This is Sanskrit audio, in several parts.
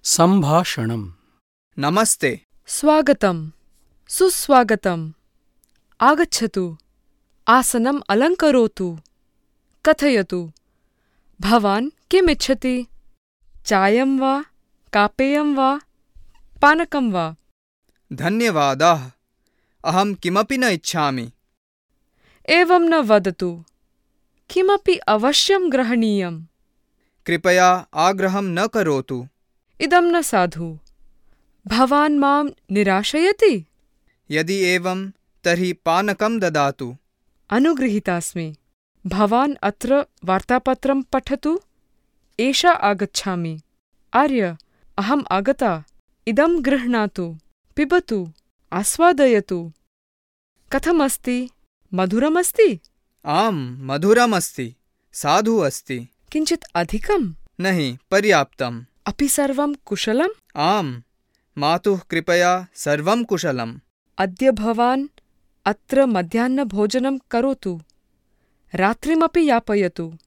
सम्भाषणम्। नमस्ते। स्वागतं, सुस्वागतम्। आगच्छतु, आसनम् अलङ्करोतु, कथयतु, भवान् किम् इच्छति? चायं वा, कापेयं वा, पानकं वा? धन्यवादाः, अहं किमपि न इच्छामि। एवं न वदतु, किमपि अवश्यं ग्रहणीयम्। कृपया आग्रहं न करोतु। इदं न साधु। भवान् मां निराशयति? यदि एवं तर्हि पानकं ददातु। अनुगृहीतास्मि। भवान् अत्र वार्तापत्रं पठतु। एषा आगच्छामि। आर्य, अहम् आगता। इदं गृह्णातु, पिबतु, आस्वादयतु। कथमस्ति? मधुरमस्ति? आम्, मधुरमस्ति, साधु अस्ति। किञ्चित् अधिकम्? नहि, पर्याप्तम्। अपि सर्वं कुशलम्? आम्, मातुः कृपया सर्वं कुशलम्। अद्य भवान् अत्र मध्याह्नभोजनं करोतु। रात्रिमपि यापयतु।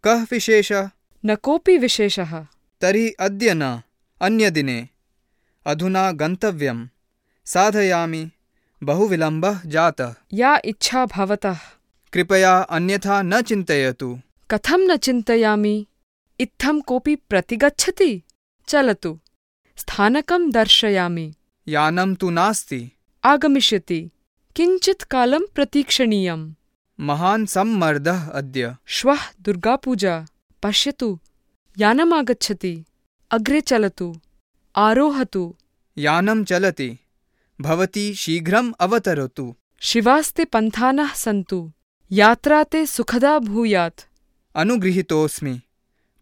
कः विशेषः? न कोऽपि विशेषः। तर्हि अद्य न, अन्यदिने। अधुना गन्तव्यम्। साधयामि, बहु विलम्बः जातः। या इच्छा भवतः। कृपया अन्यथा न चिन्तयतु। कथं न चिन्तयामि? इत्थं कोऽपि प्रतिगच्छति? चलतु, स्थानकं दर्शयामि। यानं तु नास्ति। आगमिष्यति। किञ्चित् कालं प्रतीक्षणीयम्। महान् सम्मर्दः अद्य। श्वः दुर्गापूजा। पश्यतु, यानमागच्छति। अग्रे चलतु, आरोहतु। यानं चलति। भवती शीघ्रम् अवतरतु। शिवास्ते पन्थानः सन्तु। यात्रा ते सुखदा भूयात्। अनुगृहीतोऽस्मि।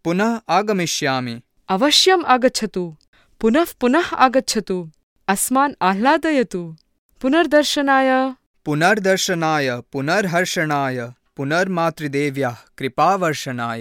पुनः आगमिष्यामि। अवश्यम् आगच्छतु। पुनः पुनः आगच्छतु। अस्मान् आह्लादयतु। पुनर्दर्शनाय। पुनर्दर्शनाय, पुनर्हर्षणाय, पुनर्मातृदेव्याः कृपावर्षणाय।